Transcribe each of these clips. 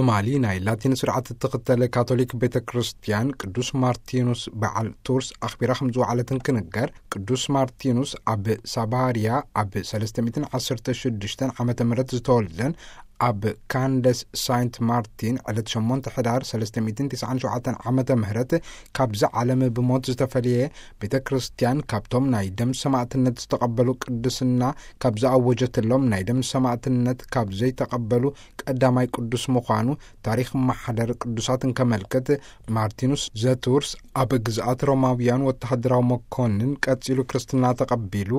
ትማሊ ናይ ላቲን ስርዓት እትኽተል ካቶሊክ ቤተ ክርስቲያን ቅዱስ ማርቲኑስ በዓል ቱርስ ኣኽቢራ ከም ዝወዓለት እንክንገር፣ ቅዱስ ማርቲኑስ ኣብ ሳባርያ ኣብ ሰለስተ ሚእትን ዓሰርተ ሽዱሽተን ዓመተ ምህረት ዝተወልደን ኣብ ካንደስ ሳይንት ማርቲን ዕለት ሸሞንተ ሕዳር ሰለስተ ሚእትን ትስዓን ሸውዓተን ዓመተ ምህረት ካብዚ ዓለም ብሞት ዝተፈልየ፣ ቤተ ክርስቲያን ካብቶም ናይ ደም ሰማዕትነት ዝተቐበሉ ቅድስና ካብ ዝኣወጀትሎም ናይ ደም ሰማዕትነት ካብ ዘይተቐበሉ ቀዳማይ ቅዱስ ምዃኑ ታሪኽ ማሕደር ቅዱሳት እንከመልክት፣ ማርቲኑስ ዘቱርስ ኣብ ግዝኣት ሮማውያን ወተሃደራዊ መኮንን ቀጺሉ ክርስትና ተቐቢሉ፣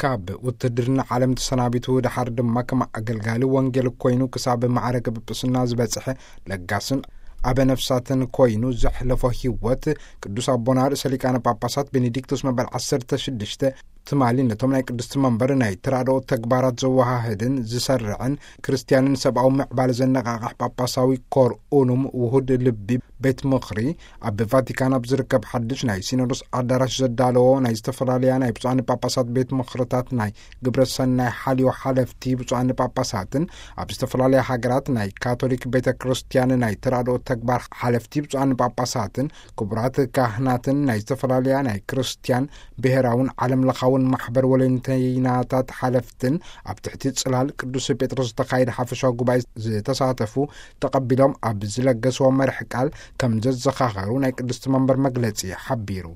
ካብ ውትድርና ዓለም ተሰናቢቱ፣ ደሓር ድማ ከም ኣገልጋሊ ወንጌል ኮይኑ ክሳብ ማዕረገ ጵጵስና ዝበጽሐ ለጋስን ኣበ ነፍሳትን ኮይኑ ዘሕለፎ ህይወት፣ ቅዱስ ኣቦና ርእሰ ሊቃነ ጳጳሳት ቤኔዲክቶስ መበል ዓሰርተ ሽዱሽተ ትማሊ ነቶም ናይ ቅድስቲ መንበር ናይ ተራድኦ ተግባራት ዘወሃህድን ዝሰርዕን ክርስትያንን ሰብኣዊ ምዕባለ ዘነቓቕሕ ጳጳሳዊ ኮር ኡኑም ውሁድ ልቢ ቤት ምኽሪ ኣብ ቫቲካን ኣብ ዝርከብ ሓድሽ ናይ ሲኖዶስ ኣዳራሽ ዘዳለዎ ናይ ዝተፈላለያ ናይ ብፁዓን ጳጳሳት ቤት ምኽርታት ናይ ግብረ ሰናይ ሓልዮ ሓለፍቲ ብፁዓን ጳጳሳትን ኣብ ዝተፈላለያ ሃገራት ናይ ካቶሊክ ቤተ ክርስቲያን ናይ ተራድኦ ተግባር ሓለፍቲ ብፁዓን ጳጳሳትን ክቡራት ካህናትን ናይ ዝተፈላለያ ናይ ክርስቲያን ብሔራውን ዓለም ለኻውን ማሕበር ወለንተይናታት ሓለፍትን ኣብ ትሕቲ ጽላል ቅዱስ ጴጥሮስ ዝተኻየደ ሓፈሻዊ ጉባኤ ዝተሳተፉ ተቐቢሎም ኣብ ዝለገስዎ መርሕ ቃል ከም ዘዘኻኸሩ ናይ ቅድስቲ መንበር መግለጺ ሓቢሩ።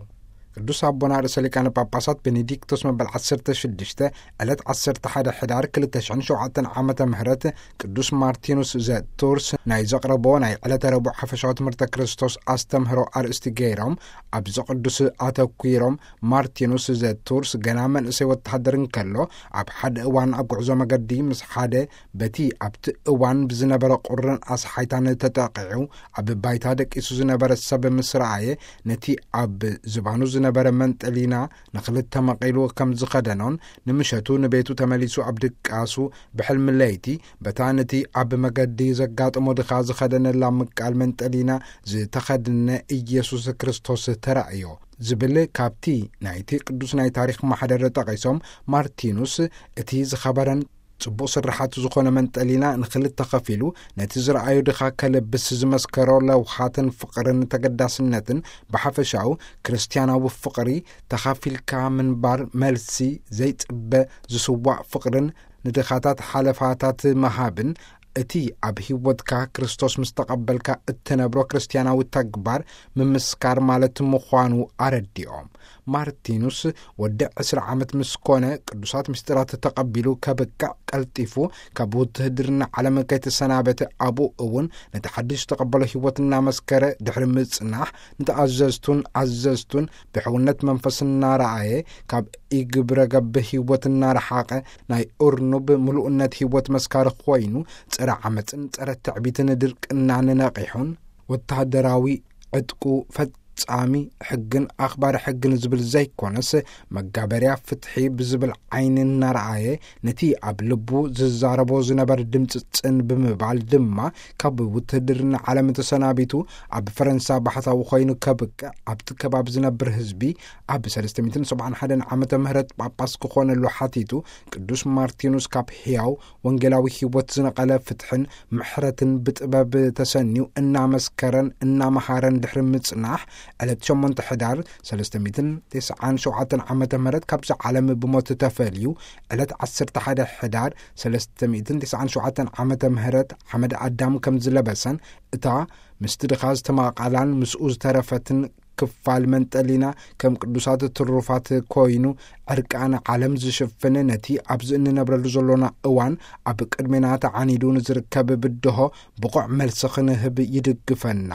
ቅዱስ ኣቦና ርእሰ ሊቃነ ጳጳሳት ቤኔዲክቶስ መበል ዓሰርተ ሽዱሽተ ዕለት ዓሰርተ ሓደ ሕዳር ክልተ ሽሕን ሸውዓተን ዓመተ ምህረት ቅዱስ ማርቲኑስ ዘ ቱርስ ናይ ዘቕረቦ ናይ ዕለተ ረቡዕ ሓፈሻዊ ትምህርተ ክርስቶስ ኣስተምህሮ ኣርእስቲ ገይሮም፣ ኣብዚ ቅዱስ ኣተኲሮም፣ ማርቲኑስ ዘ ቱርስ ገና መንእሰይ ወተሃደር እንከሎ፣ ኣብ ሓደ እዋን ኣብ ጉዕዞ መገዲ ምስ ሓደ በቲ ኣብቲ እዋን ብዝነበረ ቁርን ኣስሓይታን ተጠቒዑ ኣብ ባይታ ደቂሱ ዝነበረ ሰብ ምስ ረኣየ፣ ነቲ ኣብ ዝባኑ ዝነበረ መንጠሊና ንኽልተ መቒሉ ከም ዝኸደኖን፣ ንምሸቱ ንቤቱ ተመሊሱ ኣብ ድቃሱ ብሕልሚ ለይቲ፣ በታ ነቲ ኣብ መገዲ ዘጋጠሞ ድኻ ዝኸደነላ ምቃል መንጠሊና ዝተኸድነ ኢየሱስ ክርስቶስ ተራእዮ ዝብል ካብቲ ናይቲ ቅዱስ ናይ ታሪኽ ማሕደር ጠቒሶም፣ ማርቲኑስ እቲ ዝኸበረን ጽቡቕ ስርሓት ዝኾነ መንጠሊና ንኽልተ ኸፊሉ፣ ነቲ ዝረኣዩ ድኻ ከልብስ ዝመስከሮ ለውሃትን ፍቕርን ተገዳስነትን፣ ብሓፈሻኡ ክርስትያናዊ ፍቕሪ፣ ተኻፊልካ ምንባር፣ መልሲ ዘይጽበ ዝስዋእ ፍቕርን ንድኻታት ሓለፋታት ምሃብን፣ እቲ ኣብ ህይወትካ ክርስቶስ ምስ ተቐበልካ እትነብሮ ክርስትያናዊ ተግባር ምምስካር ማለት ምዃኑ ኣረዲኦም። ማርቲኑስ ወዲ ዕስራ ዓመት ምስ ኮነ ቅዱሳት ምስጢራት ተቐቢሉ ከብቅዕ ቀልጢፉ ካብ ውትህድርና ዓለም ከይተሰናበተ፣ ኣብኡ እውን ነቲ ሓድሽ ዝተቐበሎ ህይወት እናመስከረ ድሕሪ ምጽናሕ፣ ንተኣዘዝቱን ኣዘዝቱን ብሕውነት መንፈስ እናረኣየ፣ ካብ ኢግብረ ገብ ህይወት እናረሓቐ፣ ናይ እርኑብ ምሉእነት ህይወት መስካሪ ኮይኑ፣ ጸረ ዓመጽን ጸረ ትዕቢትን ድርቅናን ነቒሑን፣ ወተሃደራዊ ዕጥቁ ፈጻሚ ሕግን ኣኽባሪ ሕግን ዝብል ዘይኮነስ፣ መጋበርያ ፍትሒ ብዝብል ዓይኒ እናረኣየ፣ ነቲ ኣብ ልቡ ዝዛረቦ ዝነበረ ድምፂ ጽን ብምባል ድማ፣ ካብ ውትህድርና ዓለም ተሰናቢቱ፣ ኣብ ፈረንሳ ባሕታዊ ኮይኑ ከብቅዕ፣ ኣብቲ ከባቢ ዝነብር ህዝቢ፣ ኣብ ሰለስተ ሚእትን ሰብዓን ሓደን ዓመተ ምህረት ጳጳስ ክኾነሉ ሓቲቱ፣ ቅዱስ ማርቲኑስ ካብ ሕያው ወንጌላዊ ህይወት ዝነቐለ ፍትሕን ምሕረትን ብጥበብ ተሰንዩ እናመስከረን እናመሃረን ድሕሪ ምጽናሕ፣ ዕለት ሸሞንተ ሕዳር ሰለስተ ሚእትን ተስዓን ሸውዓተን ዓመተ ምህረት ካብዚ ዓለም ብሞት ተፈልዩ፣ ዕለት ዓሰርተ ሓደ ሕዳር ሰለስተ ሚእትን ተስዓን ሸውዓተን ዓመተ ምህረት ሓመድ ኣዳም ከም ዝለበሰን፣ እታ ምስቲ ድኻ ዝተማቓላን ምስኡ ዝተረፈትን ክፋል መንጠሊና ከም ቅዱሳት ትሩፋት ኮይኑ ዕርቃነ ዓለም ዝሽፍን፣ ነቲ ኣብዚ እንነብረሉ ዘሎና እዋን ኣብ ቅድሜና ተዓኒዱ ንዝርከብ ብድሆ ብቑዕ መልሲ ክንህብ ይድግፈና።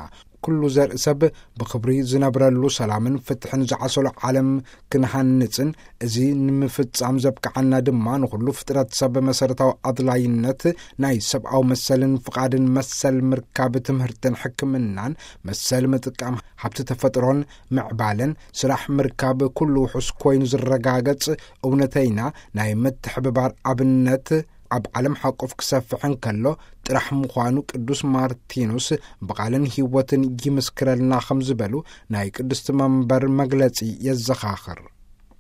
ኩሉ ዘርኢ ሰብ ብኽብሪ ዝነብረሉ ሰላምን ፍትሕን ዝዓሰሎ ዓለም ክንሃንጽን፣ እዚ ንምፍጻም ዘብቅዓና ድማ ንኹሉ ፍጥረት ሰብ መሰረታዊ ኣድላይነት ናይ ሰብኣዊ መሰልን ፍቓድን መሰል ምርካብ ትምህርትን ሕክምናን መሰል ምጥቃም ሃብቲ ተፈጥሮን ምዕባለን ስራሕ ምርካብ ኩሉ ውሑስ ኮይኑ ዝረጋገጽ እውነተይና ናይ ምትሕብባር ኣብነት ኣብ ዓለም ሓቆፍ ክሰፍሕ እንከሎ ጥራሕ ምዃኑ ቅዱስ ማርቲኑስ ብቓልን ህይወትን ይምስክረልና ከም ዝበሉ ናይ ቅድስቲ መንበር መግለጺ የዘኻኽር።